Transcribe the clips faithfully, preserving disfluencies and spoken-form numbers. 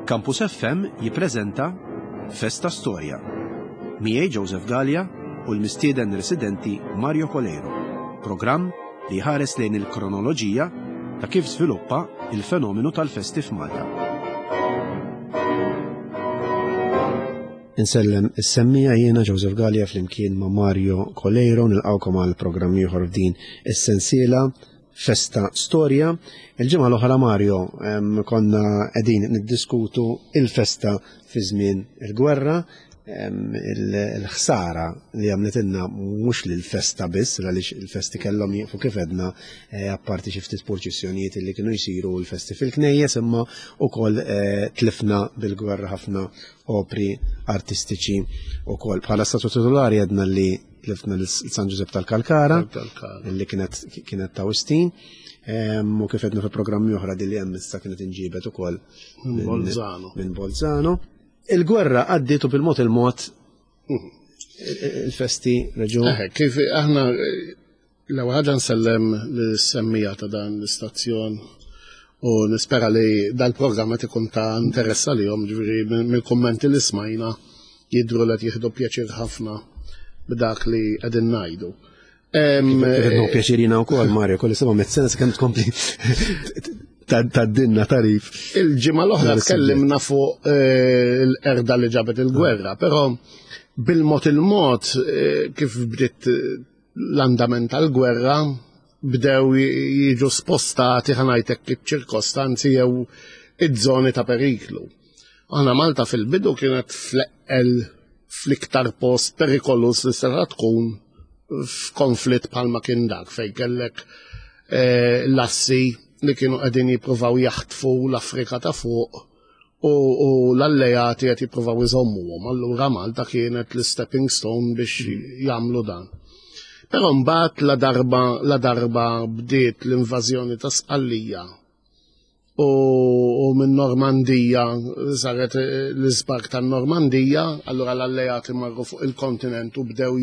Campus F M jippreżenta Festa Storja. Miegħi Joseph Gallia u l-mistieden residenti Mario Coleiro. Programm li jħares lejn il-kronoloġija ta' kif żviluppa il-fenomenu tal-festi f'Malta. Insellem is-semmiegħa, jiena Joseph Gallia flimkien ma' Mario Coleiro, nilqawkom għal programm ieħor f'din is-sensiela Festa Storja. Il-ġimgħa l-oħra, Mario, konna qegħdin niddiskutu il-festa fi żmien il-gwerra, il-ħsara li għamletilna mhux lil festa biss, għaliex il-festi kellhom jieqfu kif edna, eh, apparti xi ftit purċissjonijiet li kienu jsiru l-festi fil-knejjes, imma ukoll eh, tlifna bil-gwerra ħafna opri artistiċi ukoll. Bħala statwa titolari għedna li tlifna l-San Ġużepp tal-Kalkara, li kienet kienet ta' Wistin. U kif edna fi programmi oħra, din li hemm issa kienet inġibet ukoll minn Bolzano. Minn Bolzano. Il-gwerra għaddiet u bil-mod il-mod il-festi reġu. Kif aħna l-ewwel ħaġa nsellem lis-semmiegħa ta' dan l-istazzjon u nispera li dal-programm qed ikun ta' interess għalihom, ġifieri mill-kummenti li smajna jidhru li qed jieħdu pjaċir ħafna b'dak li qegħdin ngħidu. Kif pjaċir jiena wkoll, Mario, kolli seba' mit sena sakemm tkompli tgħaddilna tagħrif. Il-ġimgħa l-oħra tkellimna fuq eh, il-qerda li ġabet il-gwerra, però bil-mod il-mod eh, kif bdiet l-andament tal-gwerra bdew jiġu spostati, ħa ngħidlek, iċ-ċirkostanzi jew iż-żoni ta' periklu. Aħna Malta fil-bidu kienet fl-eqqel fl-iktar post perikolus li seta' tkun f'konflitt bħalma kien dak fejn kellek eh, l-assi li kienu qegħdin jippruvaw jaħtfu l-Afrika ta' fuq u, u l-alleati qed jippruvaw iżommuhom. Allura Malta kienet l-stepping stone biex jagħmlu dan. Però mbagħad la darba la darba bdiet l-invażjoni ta' Sqallija u, u minn Normandija saret l-iżbark ta' Normandija, allura l-alleati marru fuq il-kontinent u bdew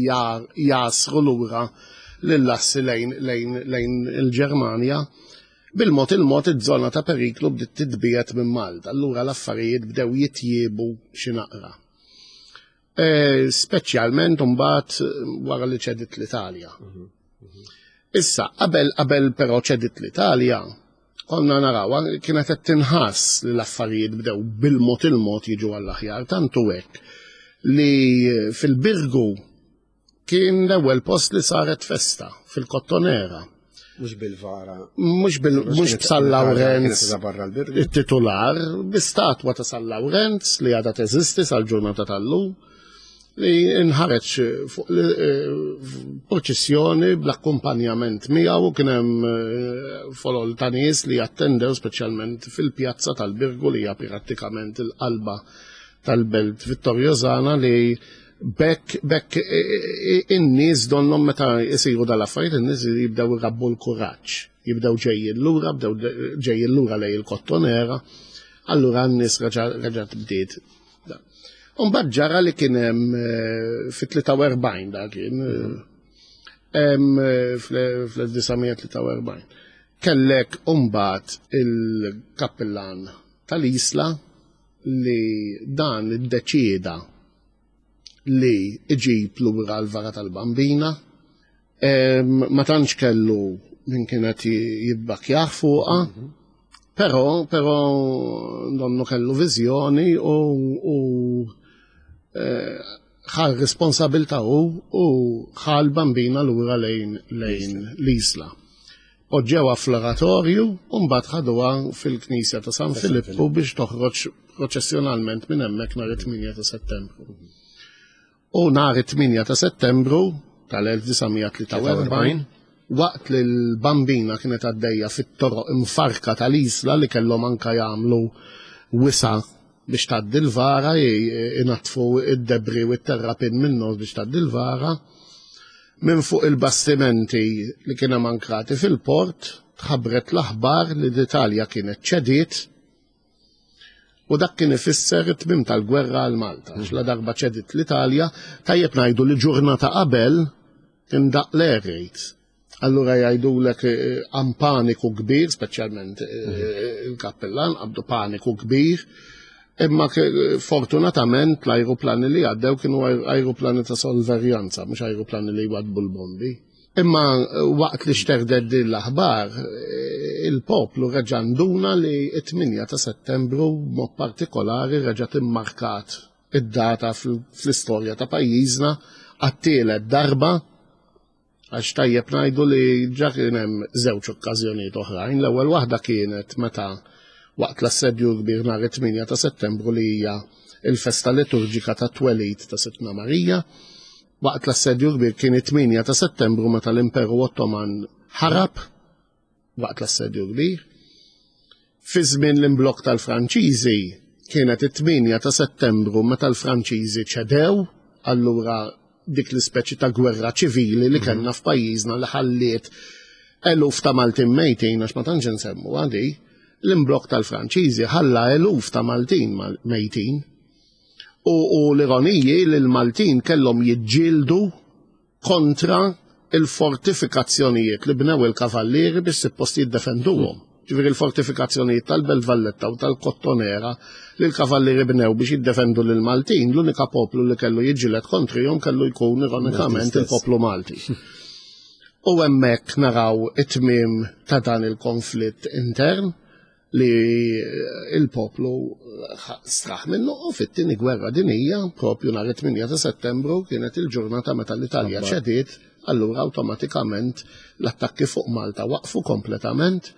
jasru lura lill-assi lejn, lejn, lejn il-Ġermanja. Bil-mod il-mod iż-żona ta' periklu bdiet titbiegħed minn Malta, allura l-affarijiet bdew jitjiebu xi naqra. E, speċjalment mbagħad wara li ċedit l-Italja. Issa, qabel qabel però ċedit l-Italja, konna naraw kienet qed tinħass li l-affarijiet bdew bil-mod il-mod jiġu għall-aħjar, tantu hekk li fil-Birgu kien l-ewwel post li saret festa fil-Kottonera. Mhux bil-vara. Mhux bil mhux b'San Lawrenz barra l-Birgu. Il-titular, bi-statwa ta' San Lawrenz li għadha teżisti sal-ġurnata tal-lum, li inħareġ fuq proċessjoni bl-akkumpanjament miegħu. Kien hemm eh, folol ta' nies li attendew, speċjalment fil-pjazza tal-Birgu li hija prattikament il-qalba tal-belt Vittoriosana, li bekk bekk in-nies donhom meta jisiru dal-affarijiet in-nies jibdew irabbu l-kuraġġ, jibdew ġejjin lura, bdew ġejjin lura lejn il-Kottonera, allura n-nies reġgħet bdiet. Umbagħad ġara li kien hemm eh, fit-tlieta u erbgħin, dak kien eh, fl-elf disa' mija tlieta u erbgħin. Kellek umbagħad il-kappillan tal-Isla li dan iddeċieda li iġib lura l-vara tal-Bambina. Ma tantx kellu min kienet jibbakjaħ fuqha, però però donnu kellu viżjoni u, u eh, ħa r-responsabbiltà u u ħa l-Bambina lura lejn lejn l-Isla. Poġġewha fl-oratorju u mbagħad ħaduha fil-Knisja ta' San Filippu biex toħroġ proċessjonalment minn hemmhekk nhar it-tmienja ta' Settembru. U nhar it-tmienja ta' Settembru tal-elf disa' mija tlieta u erbgħin, waqt li l-Bambina kienet għaddejja fit-toroq imfarka tal-Isla li kellhom anka jagħmlu wisa biex tgħaddi l-vara, inaddfu id-debris u t-terrapin minnu biex tgħaddi l-vara, minn fuq il-bastimenti li kien hemm ankrati fil-port tħabbret l-aħbar li l-Italja kienet ċediet, u dak kien ifisser it-tmim tal-gwerra għal Malta. La darba ċediet l-Italja, tajjeb ngħidu li ġurnata qabel kien daqq l-air raids. Allura jgħidulek għam paniku kbir, speċjalment eh, il-kappellan, qabdu paniku kbir. Imma fortunatament l-ajruplani li għaddew kienu ajruplani ta' sorveljanza, mhux ajruplani li jwaddbu l-bombi. Imma waqt li xterdet din l-aħbar, il-poplu reġa' nduna li t-tmienja ta' Settembru mod partikolari reġa' immarkat id-data fl-istorja ta' pajjiżna għat-tielet darba, għax tajjeb ngħidu li ġa kien hemm żewġ okkażjonijiet oħrajn. L-ewwel waħda kienet meta waqt l-assedju kbir nhar it-tmienja ta' Settembru, li hija il-festa liturġika ta' twelid ta' Sidtna Marija. Waqt l-assedju kbir kien it-tmienja ta' Settembru meta l-Imperu Ottoman ħarab waqt l-assedju kbir. Fi żmien l-imblok tal-Franċiżi kienet it-tmienja ta' Settembru meta l-Franċiżi ċedew, allura dik l-ispeċi ta' gwerra ċivili li kellna f'pajjiżna li ħalliet eluf ta' Maltin mejtin, għax ma tantx nsemmu għadi, l-imblok tal-Franċiżi ħalla eluf ta' Maltin mejtin. U, u l-ironiji li l-Maltin kellhom jiġġieldu kontra il-fortifikazzjonijiet li bnew il-kavallieri biex suppost jiddefenduhom. Ġifieri il-fortifikazzjonijiet tal-Belt Valletta u tal-Kottonera li l-kavallieri bnew biex jiddefendu lil Maltin, l-unika poplu li kellu jiġġieled kontrihom kellu jkun ironikament il-poplu Malti. U hemmhekk naraw it-tmiem ta' dan il-konflitt intern li il-poplu straħ minnu, u fit-tieni gwerra dinija, propju nhar it-tmienja ta' Settembru kienet il-ġurnata meta l-Italja ċediet, allura awtomatikament l-attakki fuq Malta waqfu kompletament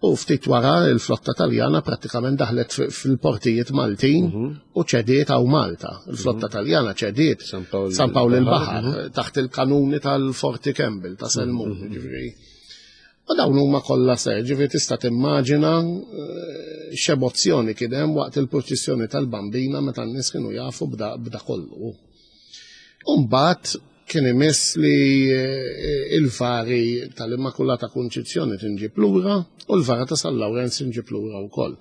u ftit wara l-flotta Taljana prattikament daħlet fil-portijiet Maltin u ċediet għaw Malta. Il-flotta Taljana ċediet San Pawl il-Baħar taħt il-kanuni tal-Forti Campbell ta' Selmun, ġifieri. U dawn huma kollha ser, ġifieri tista' timmaġina x'emozzjoni kien hemm waqt il-purċissjoni tal-Bambina meta n-nies kienu jafu b'da kollu. U mbagħad kien imiss li il-vari tal-Immakulata Kunċizzjoni tinġib lura u l-vara ta' San Lawrenz tinġib lura wkoll.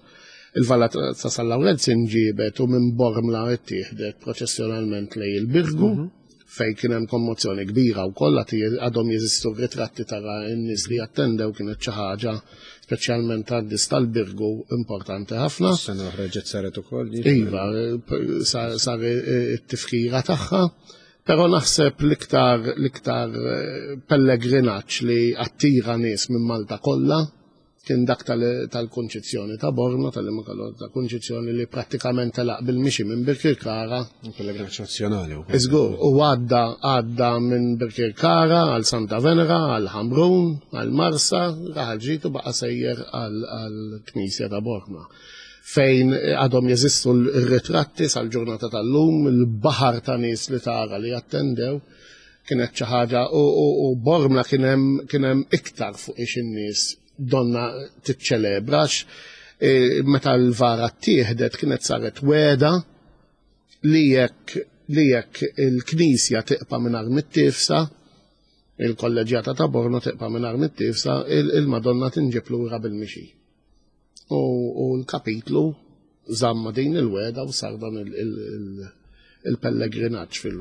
Il-vara ta' San Lawrenz inġibet u minn Bormla ittieħdet proċessjonalment lejn il-Birgu, fej kien hemm kommozzjoni kbira wkoll, għadhom jeżistu ritratti tara n-nies li attendew, kienet xi ħaġa speċjalment għad-nies tal-Birgu importanti ħafna. Sena oħra ġiet saret ukoll. Iva, sar it-tifkira tagħha. Però naħseb l-iktar l-iktar pellegrinaġġ li attira nies minn Malta kollha kien dak tal-Kunċizzjoni ta' Bormla, tal-Immakulata Kunċizzjoni, li prattikament telaq bil-mixi minn Birkirkara. Pellegrinaġġ nazzjonali. Iżgur, u għadda għadda minn Birkirkara għal Santa Venera, għal Ħamrun, għal Marsa, Raħal Ġdid u baqa' sejjer għal Knisja ta' Bormla, fejn għadhom jeżistu l-ritratti sal-ġurnata tal-lum, il-baħar ta' nies li tara li attendew, kienet xi ħaġa, u Bormla kien hemm iktar fuq ix in-nies donna tiċċelebrax. Meta l-vara ttieħdet kienet saret weda li jekk li jekk il-Knisja tiqpa' mingħajr mittifsa, il-kolleġjata ta' Bormla tiqpa' mingħajr mittifsa, il-Madonna tinġib lura bil-mixi. U l-kapitlu żamma din il-weda u sar dan il-pellegrinaġġ fil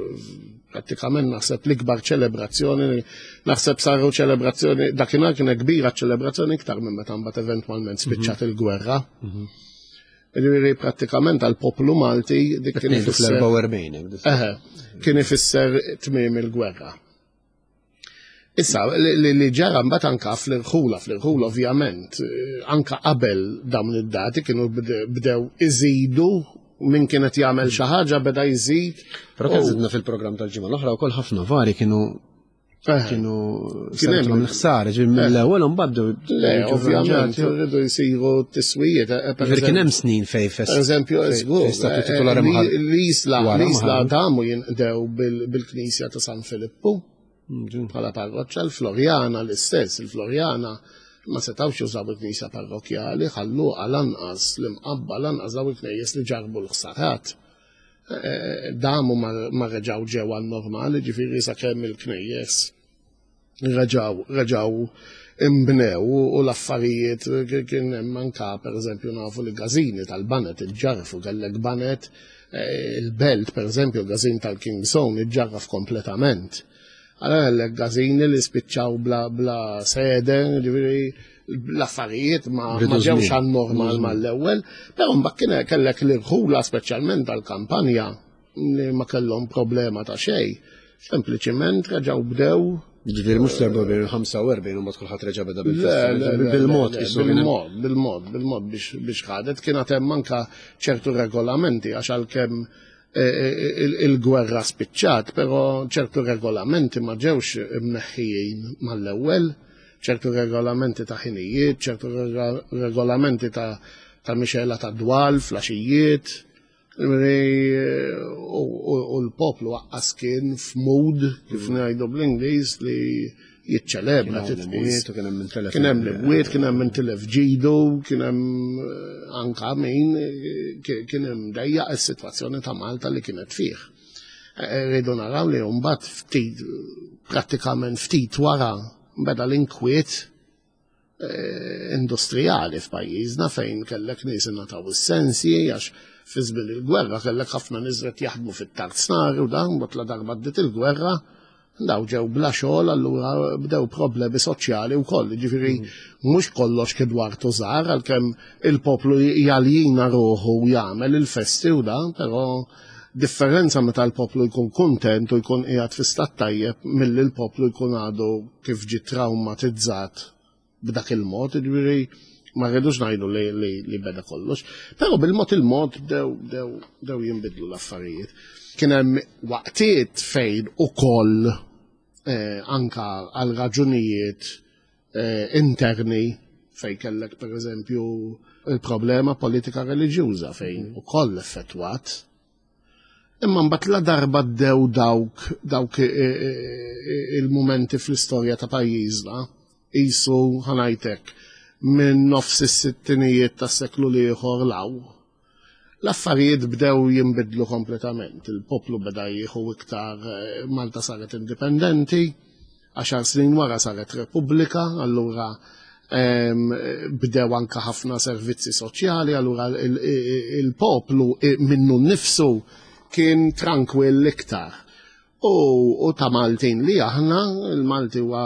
prattikament naħseb l-ikbar ċelebrazzjoni, naħseb saru ċelebrazzjoni, dakinhar kienet kbira ċelebrazzjoni iktar minn meta mbagħad eventwalment spiċċat il-gwerra. Ġifieri prattikament għall-poplu Malti dik kien ifisser. Fl-erbgħa u erbgħin. Eħe, kien ifisser tmiem il-gwerra. Issa, li ġara mbagħad anka fl-irħula, fl-irħula ovvjament, anka qabel dawn id-dati kienu bdew iżidu, min kienet jagħmel xi ħaġa beda jżid. Però kien żidna fil-programm tal-ġimgħa l-oħra wkoll ħafna vari kienu kienu Kien hemm l-ħsara, ġifieri mill-ewwel imbagħad bdew Le, ovvjament, rridu jsiru tiswijiet. Ġifieri kien hemm snin fej fest. Per eżempju, żgur, statu titolari l-Isla, l-Isla damu jinqdew bil-Knisja ta' San Filippu bħala parroċċa, l-Floriana l-istess, il-Floriana ma setawx jużaw il-knisja parrokjali, ħallu lanqas l-Imqabba, lanqas daw il-knejjes li ġarbu l-ħsarat. Damu ma reġaw ġew għal normali, ġifieri sakemm il-knejjes reġaw reġaw imbnew u l-affarijiet kien hemm anka, pereżempju, nafu li gazini tal-banet iġġarfu, kellek banet il-Belt, pereżempju, gazin tal-King's Own iġġarraf kompletament. Għalla kellek gazini li spiċċaw bla, bla sede, ġifieri L-affarijiet ma ġewx għan normal mal-ewwel, però mbagħad kien kellek l-irħula speċjalment tal-kampanja li ma kellhom problema ta' xejn. Sempliċiment reġgħu bdew. Ġifieri mhux fl-erbgħa u erbgħin u ħamsa u erbgħin u mbagħad kulħadd reġa' beda bil-festa. Bil-mod bil-mod, bil-mod, bil-mod biex ħadet kien hemm anke ċertu regolamenti għax għalkemm il-gwerra spiċċat, però ċertu regolamenti ma ġewx imneħħijin mal-ewwel, ċertu regolamenti ta' ħinijiet, ċertu regolamenti ta' mixela ta' dwal, flaxijiet, u l-poplu għaqqas kien f'mood, kif ngħidu bl-Ingliż, li jiċċelebra. Kien hemm l-imwiet, kien hemm intilef ġidu, kien hemm anka min kien hemm dejjaq is-sitwazzjoni ta' Malta li kienet fih. Rridu naraw li mbagħad ftit, prattikament ftit wara, beda l-inkwiet industrijali f'pajjiżna fejn kellek nies ingħataw is-sensi għax fi żmien il-gwerra kellek ħafna nies qed jaħdmu fit-tarznari u dan mbagħad la darba bdiet il-gwerra daw ġew bla xogħol, allura bdew problemi soċjali wkoll. Ġifieri mhux kollox kien dwar tużar għalkemm il-poplu jaljina ruħu u jagħmel il-festi u dan, però differenza meta l-poplu jkun kuntent u jkun qiegħed fi stat tajjeb milli l-poplu jkun għadu kif ġie traumatizzat b'dak il-mod, ġifieri ma rridux ngħidu li, li, li beda kollox. Però bil-mod il-mod bdew bdew bdew jinbidlu l-affarijiet. Kien hemm waqtiet fejn ukoll eh, anka għal raġunijiet eh, interni fejn kellek pereżempju il-problema politika reliġjuża fejn ukoll effettwat. Imma mbagħad la darba bdew dawk dawk il-mumenti fl-istorja ta' pajjiżna qisu ħanajtek minn nofs is-sittinijiet tas-seklu l-ieħor law. L-affarijiet bdew jinbidlu kompletament. Il-poplu beda jieħu iktar, Malta saret indipendenti, għaxar snin wara saret repubblika, allura bdew anka ħafna servizzi soċjali, allura il-poplu minnu nnifsu kien trankwill iktar. U ta' Maltin li aħna, il-Malti huwa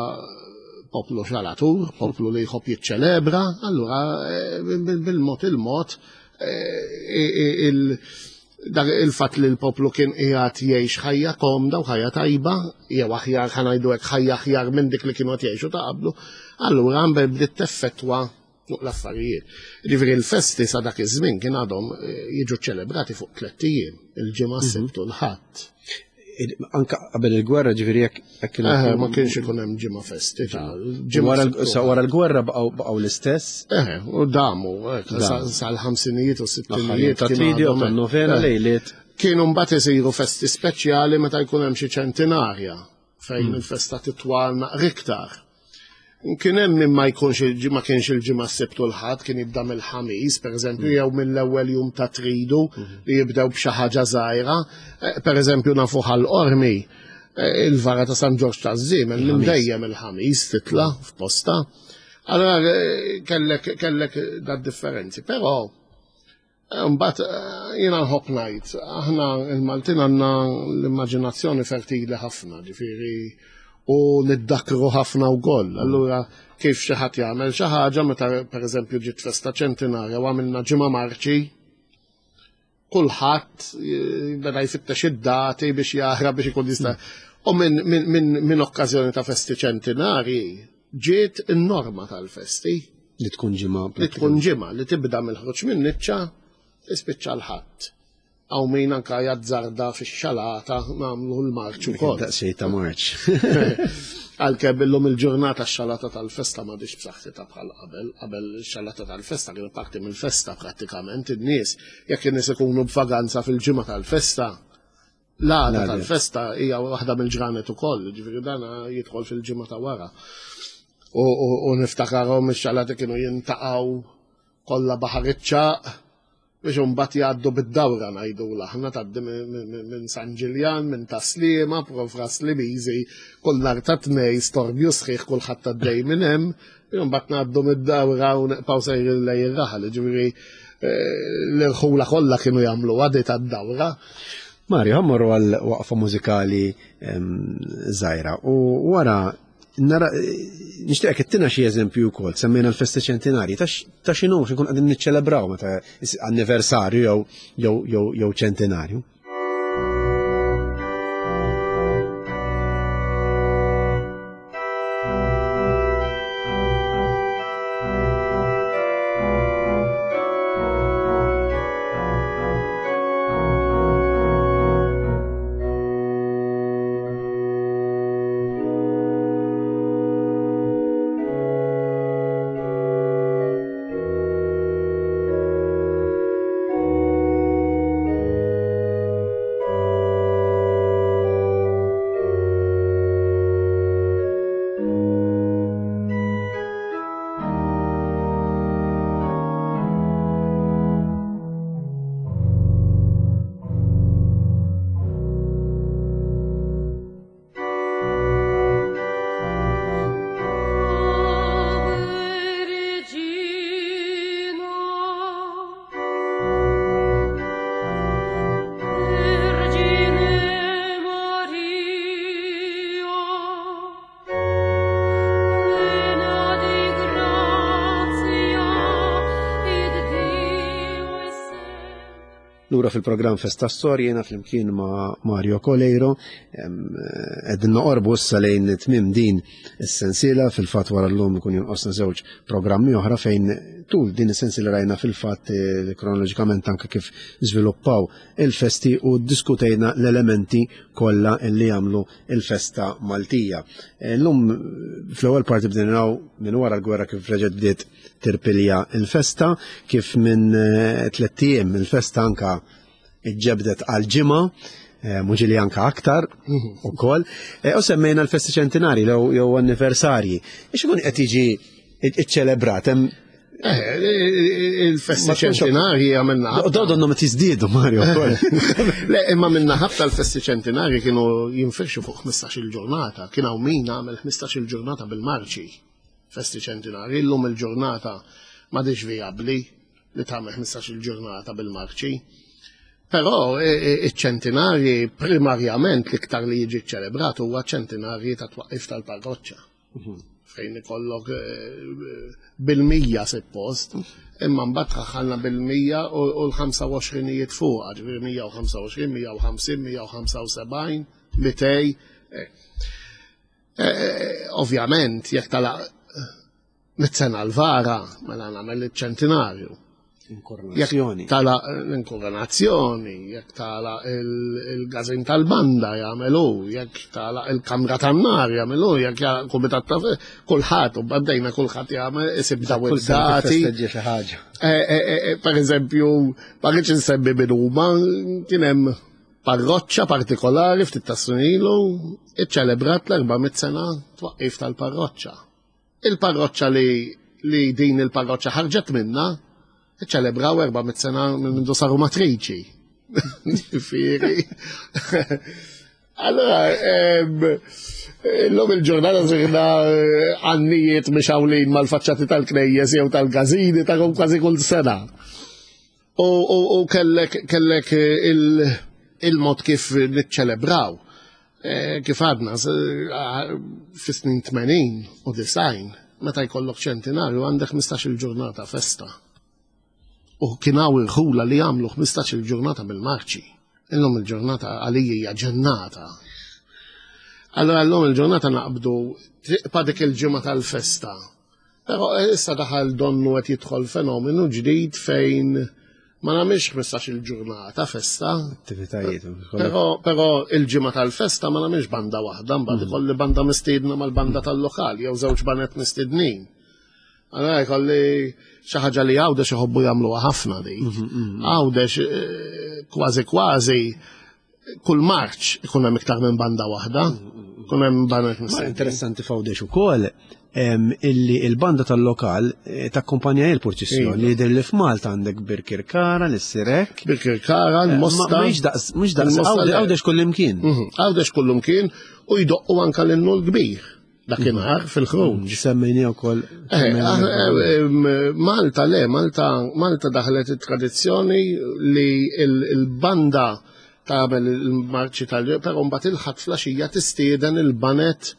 poplu xalatur, poplu li jħobb jiċċelebra, allura bil-mod il-mod il-fatt li l-poplu kien qiegħed jgħix ħajja komda u ħajja tajba, jew aħjar ħa ngħidu hekk ħajja aħjar minn dik li kienu qed jgħixu ta' qablu, allura bdiet teffettwa fuq l-affarijiet. Ġifieri l-festi sa dak iż-żmien kien għadhom jiġu ċelebrati fuq tliet ijiem, il-ġimgħa, s-Sibt u l-Ħadd. Anka qabel il-gwerra ġifieri jekk kien ma kienx ikun hemm ġimgħa festi ta' wara l-gwerra baqgħu l-istess. Eh, u damu sal-ħamsinijiet u s-sittinijiet ta' tridu u tan-novena lejliet. Kienu mbagħad isiru festi speċjali meta jkun hemm xi ċentinarja fejn il-festa titwal naqra iktar. Kien hemm min ma jkunx ma kienx il-ġimgħa s-Sibt u l-Ħadd, kien jibda mill-Ħamis, pereżempju, jew mill-ewwel jum ta' tridu li jibdew b'xi ħaġa żgħira. Pereżempju nafu ħal-Qormi, il-vara ta' San Ġorġ taż-Żiemel minn dejjem il-Ħamis titla' f'posta. Allora kellek kellek da differenzi, però mbagħad jiena nħobb ngħid, aħna il-Maltin għandna l-immaġinazzjoni fertili ħafna, ġifieri u niddakru ħafna wkoll. Allura kif xi ħadd jagħmel xi ħaġa meta pereżempju ġiet festa ċentinarja u għamilna ġimgħa marċi, kulħadd beda jfittex id-dati biex jaħrab biex ikun jista'. U minn min, min, min okkażjoni ta' festi ċentinarji ġiet in-norma tal-festi. Li tkun ġimgħa. Li tkun ġimgħa, li tibda mill-ħruġ minn niċċa tispiċċa l-Ħadd. Għaw min anka jazzarda fix-xalata nagħmlu l-marċ ukoll. Daqsxejn ta' marċ. Għalkemm illum il-ġurnata x-xalata tal-festa m'għadix b'saħħitha bħal qabel. Qabel ix-xalata tal-festa kienet parti mill-festa prattikament in-nies. Jekk in-nies ikunu b'vaganza fil-ġimgħa tal-festa, l-għada tal-festa hija waħda mill-ġranet ukoll, ġifieri dan jidħol fil-ġimgħa ta' wara. U niftakarhom ix-xalati kienu jintaqgħu kollha baħar iċ-ċagħaq biex imbagħad jgħaddu bid-dawra ngħidu aħna tgħaddi minn San Ġiljan, minn Taslima, Profra Slimiżi, kull nhar ta' tnejn storbju sħiħ kulħadd għaddej minn hemm, imbagħad ngħaddu mid-dawra u nibqgħu sejrin lejn ir-raħal, ġifieri l-irħula kollha kienu jagħmlu għadi tad-dawra. Mario, ħammorru għal waqfa mużikali żgħira u wara Nara, nixtieqek ittina xi eżempju wkoll, semmejna l-festi ċentinarji, ta' x'inhu x'inkun qegħdin niċċelebraw meta anniversarju jew jew jew jew ċentinarju. Lura fil-programm Festa Storja jiena flimkien ma' Mario Coleiro, qegħdin noqorbu issa lejn tmiem din is-sensiela. Fil-fatt wara llum ikun jonqosna żewġ programmi oħra fejn tul din is-sensiela rajna fil-fatt kronoloġikament anke kif żviluppaw il-festi u ddiskutejna l-elementi kollha li jagħmlu il-festa Maltija. Llum fl-ewwel parti bdejna naraw minn wara l-gwerra kif reġgħet bdiet tirpilja il-festa, kif minn tlett ijiem il-festa anka iġġebdet għal ġimgħa, mhux li anka aktar ukoll, u semmejna l-festi ċentinarji jew anniversarji. Ix ikun qed jiġi iċċelebrat hemm il-festi ċentinarji għamilna. Dawdu ma tiżdiedu, Mario. Le, imma minna ħafna l-festi ċentinarji kienu jinfirxu fuq ħmistax-il ġurnata. Kien hawn min għamel ħmistax-il ġurnata bil-marċi. Festi ċentinarji, illum il-ġurnata m'għadix vijabbli li tagħmel ħmistax-il ġurnata bil-marċi. Però iċ-ċentinarji primarjament l-iktar li jiġi ċelebrat huwa ċentinarji ta' twaqqif tal-parroċċa. Fejn ikollok bil-mija suppost, imma mbagħad ħaħalna bil-mija u l-ħamsa u għoxrinijiet fuq, ġifieri mija u ħamsa u għoxrin, mija u ħamsin, mija u ħamsa u sebgħin, mitej. Ovvjament, jekk talaq mit-sena l-vara, mela nagħmel iċ-ċentinarju. Inkoronazzjoni. Tala l-inkoronazzjoni, jekk tala il-gazin tal-banda jagħmelu, jekk tala il-kamra tan-nar jagħmelu, jekk kumitat ta' kulħadd u baddejna kulħadd jagħmel isib daw id-dati. Per eżempju, ma rridx insemmi min huma, kien hemm parroċċa partikolari ftit ta' snin ilu iċċelebrat l-erba' mitt sena twaqqif tal-parroċċa. Il-parroċċa li li din il-parroċċa ħarġet minna ċelebraw erba' mitt sena minn mindu saru matriċi. Ġifieri. Allora, illum il-ġurnata sirna għannijiet mixawlin mal-faċċati tal-knejjes jew tal-gazini ta' kważi kull sena. U kellek kellek il-mod kif niċċelebraw. Kif għadna fis-snin tmenin u disgħin, meta jkollok ċentinarju għandek ħmistax-il ġurnata festa. U kien hawn irħula li jagħmlu ħmistax-il ġurnata bil-marċi. Illum il-ġurnata għalija hija ġennata. Allora llum il-ġurnata naqbdu triqpa dik il-ġimgħa tal-festa. Però issa daħal donnu qed jidħol fenomenu ġdid fejn ma nagħmilx ħmistax-il ġurnata festa. Attivitajiet. Però però il-ġimgħa tal-festa ma nagħmilx banda waħda, mbagħad ikolli banda mistiedna mal-banda tal-lokal jew żewġ banet mistednin. Allora jkolli xi ħaġa li Għawdex iħobbu jagħmluha ħafna dik. Għawdex kważi kważi kull marċ ikun hemm iktar minn banda waħda, ikun hemm banet mistednin. Interessanti f'Għawdex ukoll illi il-banda tal-lokal takkumpanja il-purċissjoni li jidher li f'Malta għandek Birkirkara, l-Sirek. Birkirkara, l-Mosta. Mhux daqs, mhux daqs, Għawdex kullimkien. Għawdex kullimkien u jdoqqu anke l-innu l-kbir. Dakinhar fil-ħruġ. Semmejni wkoll. Malta le, Malta Malta daħlet it-tradizzjoni li il-banda tagħmel il-marċi tal, però mbagħad il-ħadd flaxija tistieden il-banet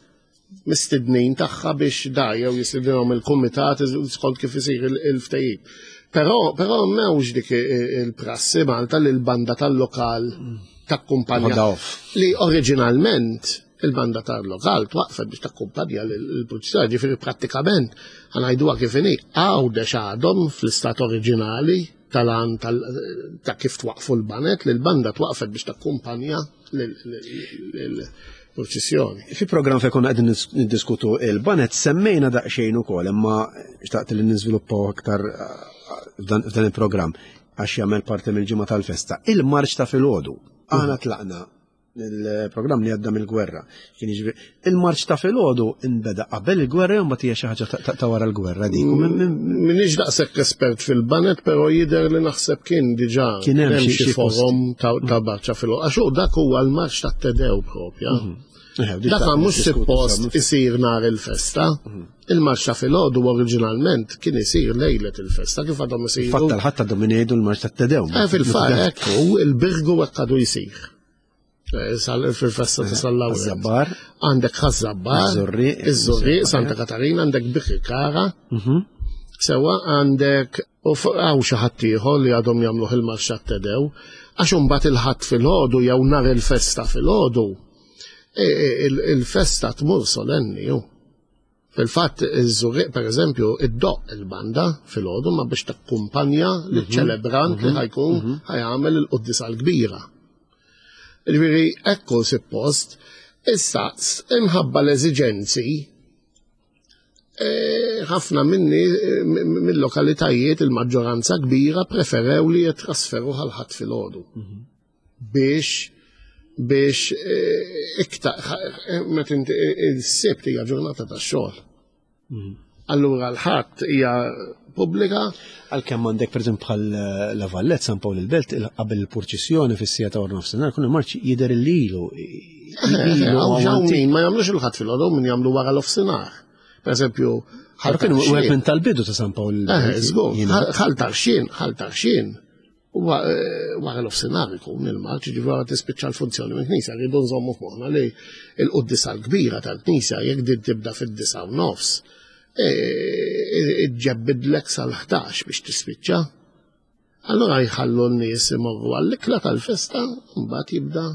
mistednin tagħha biex da jew jistedinhom il-kumitat skont kif isir il-ftehim. Però però m'hemmx dik il-prassi Malta li l-banda tal-lokal takkumpanja li oriġinalment il-banda tal-lokal twaqfet biex takkumpanja l-purċissjoni, ġifieri prattikament ħa ngħiduha kif inhi, Għawdex għadhom fl-istat oriġinali tal-għan ta' kif twaqfu l-banet, li l-banda twaqfet biex takkumpanja l-purċissjoni. Fi programm fejn konna qegħdin niddiskutu il-banet semmejna daqsxejn ukoll, imma xtaqt li niżviluppaw aktar f'dan il-programm għax jagħmel parti mill-ġimgħa tal-festa. Il-marċ ta' filgħodu. Aħna tlaqna il-programm li għadda mill-gwerra. Kien jiġri il-marċ ta' filgħodu inbeda qabel il-gwerra jew mbagħad hija xi ħaġa ta' wara l-gwerra dik. M'iniex daqshekk espert fil-banet, però jidher li naħseb kien diġà kien hemm xi forom ta' marċa filgħodu. Għax dak huwa l-marċ tat-Tedew propja. Dak mhux suppost isir nhar il-festa. Il-marċ ta' filgħodu oriġinalment kien isir lejlet il-festa kif għadhom isiru. Fatta l-ħadd għadhom jgħidu l-marċ tat-Tedew. Fil-fatt hekk il-Birgu hekk għadu jsir. Fil-festa ta' San Lawrenz. Ħaż-Żabbar. Għandek Ħaż-Żabbar. Iż-Żurrieq, Santa Katarina, għandek Birkirkara. Sewa għandek u hawn xi ħadd ieħor li għadhom jagħmluh il-marċ tat-Tedew, għax imbagħad il-ħadd filgħodu jew nhar il-festa filgħodu, il-festa tmur solenni ju. Fil-fatt iż-Żurrieq pereżempju iddoqq il-banda filgħodu ma biex takkumpanja liċ-ċelebrant li ħajkun ħajagħmel il-quddiesa l-kbira. Ġifieri ekku suppost, issa imħabba l-eżiġenzi ħafna minni mill-lokalitajiet il-maġġoranza kbira preferew li jitrasferu għal ħadd filgħodu. Biex biex iktar meta inti il-Sibt hija ġurnata tax-xogħol. Allura l-Ħadd hija pubblika. Għalkemm għandek pereżempju bħal La Vallette, San Pawl il-Belt, qabel il-purċissjoni fis-siegħa ta' wara nofsinhar, kun il-marċ jidher il-lilu. Hawn min ma jagħmlux il-Ħadd filgħodu, min jagħmlu wara l-ofsinhar. Per eżempju, Ħal kienu wieħed minn tal-bidu ta' San Pawl il-Belt. Żgur, Ħal Tarxien, Ħal Tarxien. Wara l-ofsinhar ikun il-marċ, ġifieri wara tispiċċa l-funzjoni minn knisja, rridu nżommu f'moħħna li l-quddiesa l-kbira tal-knisja jekk din tibda fid-disa u nofs, iġġebbidlek sal-ħdax biex tispiċċa. Allura jħallu n-nies imorru għall-ikla tal-festa, mbagħad jibda.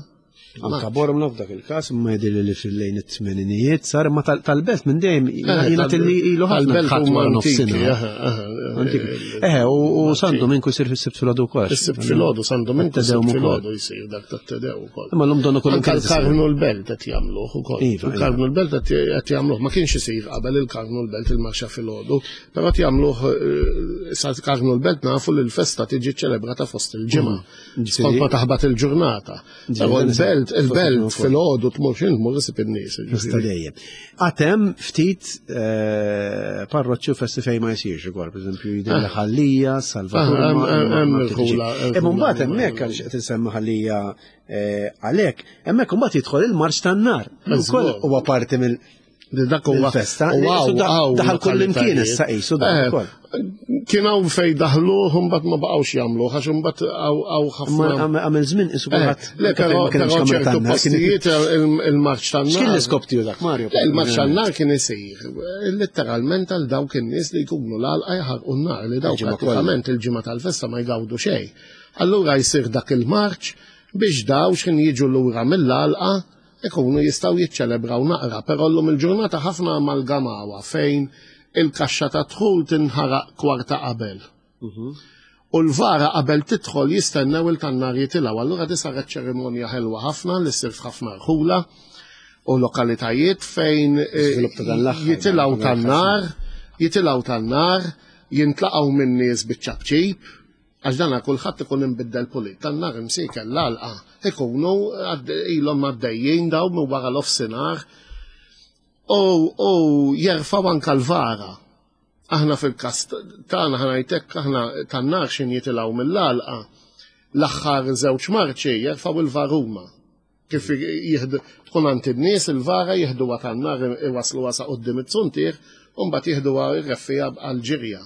Anka Bormla f'dak il-każ, imma jidhirli li fil-lejn it-tmeninijiet sar, imma tal-belt minn dejjem jingħad li ilu ħafna Tal-belt ħadd huma wara antiki, nofsinhar. aha, aha, Antiki. Eħe, u San Dominku jsir fis-Sibt filgħodu wkoll. Is-Sibt filgħodu, San Dominku Tat-Tedew is-Sibt ukoll. filgħodu jsir dak tat-Tedew ukoll. Imma llum donnu kollu Anka kien isir. l-Karmnu l-Belt qed jagħmluh ukoll. Iva, Il-Karmnu l-Belt qed jagħmluh, ma kienx isir qabel il-Karmnu l-Belt il-marxa filgħodu, però qed jagħmluh sa Karmnu l-Belt nafu li l-festa tiġi ċelebrata fost il-ġimgħa. Skont ma taħbat il-ġurnata. Però l-Belt, il-Belt filgħodu tmur x'in tmur isib in-nies. Festa dejjem. Għatem ftit parroċċi u festi fejn ma jsirx ukoll, pereżempju jidher li Ħal Lija, Salvatur. Hemm il-ħula. Imma mbagħad hemmhekk għaliex qed insemmi Ħal Lija għalhekk, hemmhekk imbagħad jidħol il-marċ tan-nar. Ukoll huwa parti mill Dak huwa il-festa. Daħal kull imkien issa qisu dak ukoll. Kien hawn fejn daħluh imbagħad ma baqgħux jagħmluh għax imbagħad hawn ħafna. Għamel żmien qisu kulħadd. Le, però ċertu postijiet il-marċ tan-nar. X'kien l-iskop tiegħu dak, Mario? Le, il-marċ tan-nar kien isir letteralment għal dawk in-nies li jkunu l-għalqa jaħarqu n-nar li dawk prattikament il-ġimgħa tal-festa ma jgawdu xejn. Allura jsir dak il-marċ biex daw x'kien jiġu lura mill-għalqa ikunu jistgħu jiċċelebraw naqra, però llum il-ġurnata ħafna amalgamawa fejn il-kaxxa ta' dħul tinħaraq kwarta qabel. U l-vara qabel tidħol jistennew il-tannar jitilgħu. Allura di saret ċerimonja ħelwa ħafna li ssir f'ħafna rħula u lokalitajiet fejn jitilgħu tan-nar, jitilgħu tan-nar, jintlaqgħu minn nies biċ-ċapċip, għax dana kulħadd ikun imbiddel pulit, tan-nar imsiekel l-għalqa, ikunu ilhom għaddejjin daw minn wara l-ofsinhar u jerfgħu anka l-vara. Aħna fil-każ tagħna ħanajtek aħna tan-nar x'in jitilgħu mill-għalqa, l-aħħar żewġ marċi jerfgħu il-varuma. Kif jieħdu tkun għand in-nies il-vara jieħduha tan-nar iwasluha sa quddiem it-suntier u mbagħad jieħduha r-reffija għall-ġirja.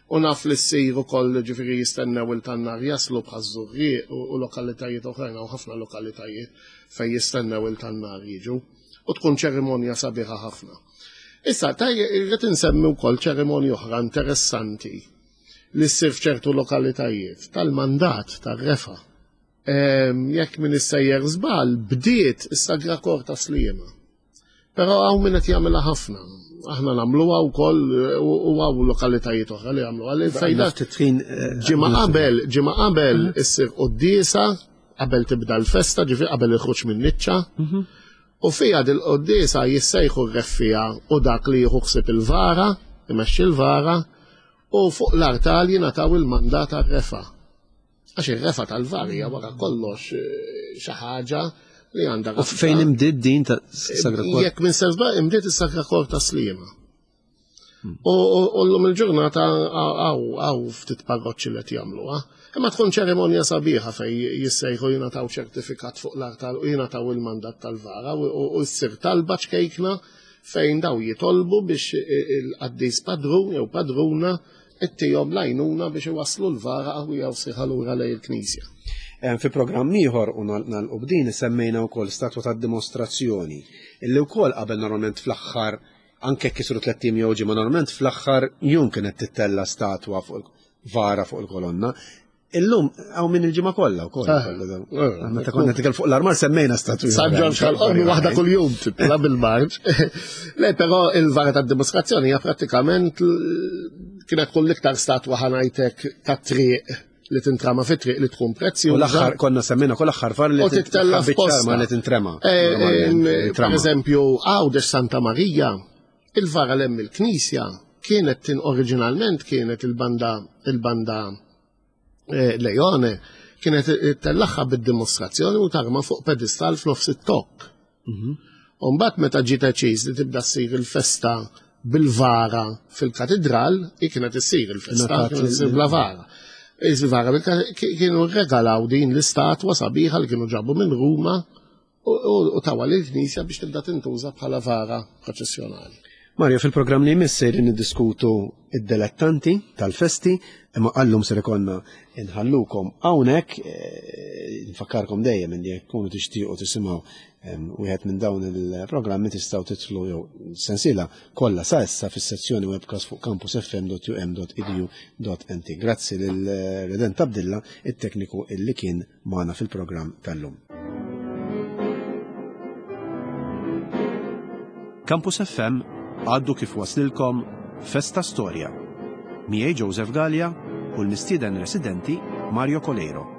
U naf li ssir ukoll ġifieri jistennew il-tannar jaslu bħaż-Żurrieq u lokalitajiet oħrajn, hawn ħafna lokalitajiet fejn jistennew il-tannar jiġu. U tkun ċerimonja sabiħa ħafna. Issa, irrid insemmi wkoll ċerimonja oħra interessanti li ssir f'ċertu lokalitajiet tal-mandat tar-refa. Jekk min issejjer żball bdiet is-Sagra Kor ta' Sliema. Però hawn min qed jagħmilha ħafna. Aħna nagħmluha wkoll u hawn lokalitajiet oħra li jagħmluha. Fejda ġimgħa qabel, ġimgħa qabel issir quddiesa qabel tibda l-festa, ġifieri qabel il-ħruġ min-niċċa. U fiha dil-quddiesa jissejħu r-reffija u dak li jieħu ħsieb il-vara, imexxi l-vara, u fuq l-artal jingħataw il-mandat għar-refa. Għax ir-refa tal-vara hija wara kollox xi ħaġa li għandha. U fejn imdiet din ta' Sagra Kor? Jekk minn sezba imdiet is-Sagra Kor ta' Sliema. U llum il-ġurnata hawn ftit parroċċi li qed jagħmluha. Imma tkun ċerimonja sabiħa fejn jissejħu jingħataw ċertifikat fuq l-artal u jingħataw il-mandat tal-vara u ssir talba ċkejkna fejn daw jitolbu biex il-qaddis padrun jew padruna ittihom l-għajnuna biex iwasslu l-vara qawwija u sħiħa lura lejn il-knisja. Fi programm ieħor u nagħlqu b'din semmejna wkoll statwa tad-dimostrazzjoni illi wkoll qabel normalment fl-aħħar anke kisru tliet ijiem jew ġimgħa normalment fl-aħħar jum kienet tittella statwa fuq vara fuq il-kolonna. Illum hawn minn il-ġimgħa kollha wkoll. Meta konna nitkellmu fuq l-armar semmejna statwi. San Ġorġ Ħal-Qormi waħda kuljum titla' bil-marġ. Le, però il-vara tad-dimostrazzjoni hija prattikament kienet tkun l-iktar statwa ħanajtek tat-triq li tintrama fit-triq li tkun prezzjuża. U l-aħħar konna semmejna kol aħħar var li tittella f'posta li tintrema. Per eżempju, Għawdex Santa Marija, il-vara l-hemm il-knisja kienet tin oriġinalment kienet il-banda il-banda Leone kienet tellaħħa bid-dimostrazzjoni u tarma fuq pedestal f'nofs it-tokk. U mbagħad meta ġiet deċiż li tibda ssir il-festa bil-vara fil-katedral, hi kienet issir il-festa, kienet issir bla vara. Il-vara kienu regalaw din l-istatwa sabiħa li kienu ġabu minn Ruma u tawa lill-knisja biex tibda tintuża bħala vara proċessjonali. Mario, fil-programm li jmiss sejrin niddiskutu id-delettanti tal-festi, imma għallum ser ikonna nħallukom hawnhekk, nfakkarkom dejjem li jekk tkunu tixtiequ tisimgħu wieħed minn dawn il-programmi tistgħu titlu jew sensiela kollha sa issa fis-sezzjoni webcast fuq campus f m dot u m dot e d u dot n t. Grazzi lil Redent Abdilla, it-tekniku illi kien magħna fil-programm tal-lum. Campus F M għaddu kif waslilkom Festa Storja. Miegħi Joseph Galea u l-mistieden residenti Mario Coleiro.